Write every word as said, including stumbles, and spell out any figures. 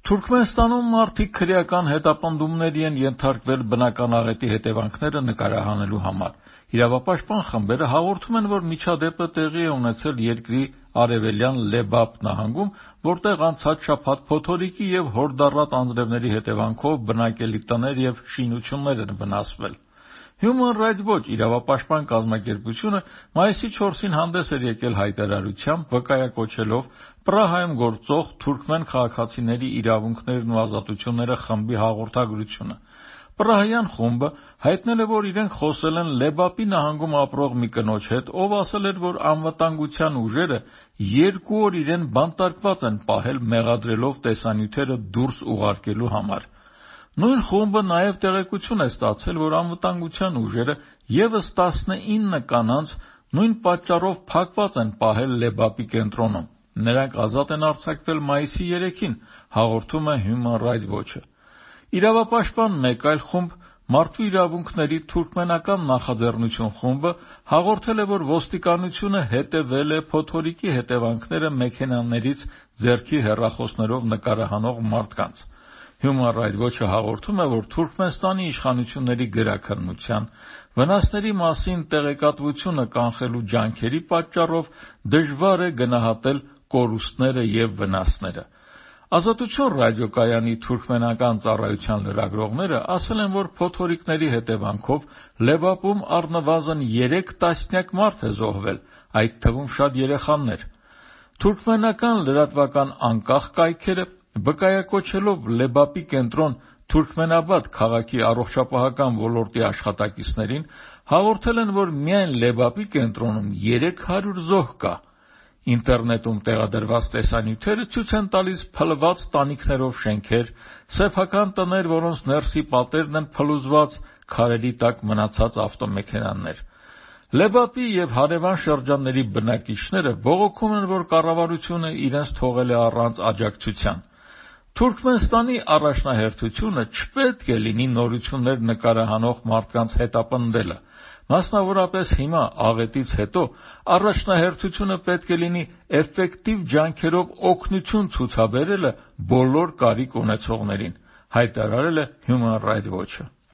Թուրքմենստանում մարդիկ քրեական հետապնդումների են ենթարկվել բնական աղետի հետևանքները նկարահանելու համար։ Իրավապաշտպան խմբերը հաղորդում են, որ միջադեպը տեղի է ունեցել երկրի արևելյան Լեբապ նահանգում, որտեղ անցած շաբաթ փոթորիկի և հորդառատ անձրևների հետևանքով բնակելի տներ և շինություններ են վնասվել։ Human Rights Watch իրավապաշտպան կազմակերպությունը մայիսի չորսին հանդես էր եկել հայտարարությամբ, վկայակոչելով Պրահայում գործող թուրքմեն քաղաքացիների իրավունքներն ու ազատությունները խմբի հաղորդագրությունը։ Պրահյան խումբը հայտնել է, որ իրենք խոսել են Լեբապի նահանգում ապրող մի կնոջ հետ, ով ասել էր, որ անվտանգության ուժերը երկու օր իրեն բանտարկված են պահել, մեղադրելով տեսանյութերը դուրս ուղարկելու համար։ Նույն խումբը նաև տեղեկություն է ստացել, որ անվտանգության ուժերը ևս տասնինը կանանց նույն պատճառով փակված են պահել Լեբապի կենտրոնում։ Նրանք ազատ են արձակվել մայիսի երեքին, հաղորդում է Human Rights Watch-ը։ Իրավապաշտպան մեկ այլ խումբ, Մարդու իրավունքների թուրքմենական նախաձեռնություն խումբը, հաղորդել է, որ ոստիկանությունը հետևել է փոթորիկի հետևանքները մեքենաներից ձեռքի հեռախոսներով նկարահանող մարդկանց։ Human Rights Watch-ը հաղորդում է, որ Թուրքմենստանի իշխանությունների գրաքննության, վնասների մասին տեղեկատվությունը կանխելու ջանքերի պատճառով դժվար է գնահատել կորուստները և վնասները։ Ազատություն ռադիոկայանի թուրքմենական ծառայության լրագրողները ասել են, որ փոթորիկների հետևանքով Լեբապում առնվազն երեք տասնյակ մարդ է զոհվել, այդ թվում շատ երեխաներ։ Թուրքմենական լրատվական անկախ կայքերը, վկայակոչելով Լեբապի կենտրոն Թուրքմենաբադ քաղաքի առողջապահական ոլորտի աշխատակիցներին, հաղորդել են, որ միայն Լեբապի կենտրոնում երեք հարյուր զոհ կա։ Ինտերնետում տեղադրված տեսանյութերը ցույց են տալիս փլված տանիքներով շենքեր, սեփական տներ, որոնց ներսի պատերն են փլուզված, քարերի տակ մնացած ավտոմեքենաներ։ Լեբապի և հարևան շրջանների բնակիչները բողոքում են, որ կառավարությունը իրենց թողել է առանց աջակցության։ Թուրքմենստանի առաջնահերթությունը չպետք է լինի նորություններ նկարահանող մարդկանց հետապնդելը։ Մասնավորապես հիմա, աղետից հետո, առաջնահերթությունը պետք է լինի էֆեկտիվ ջանքերով օգնություն ցուցաբերելը բոլոր կարիք ունեցողներին, հայտարարել է Human Rights Watch-ը։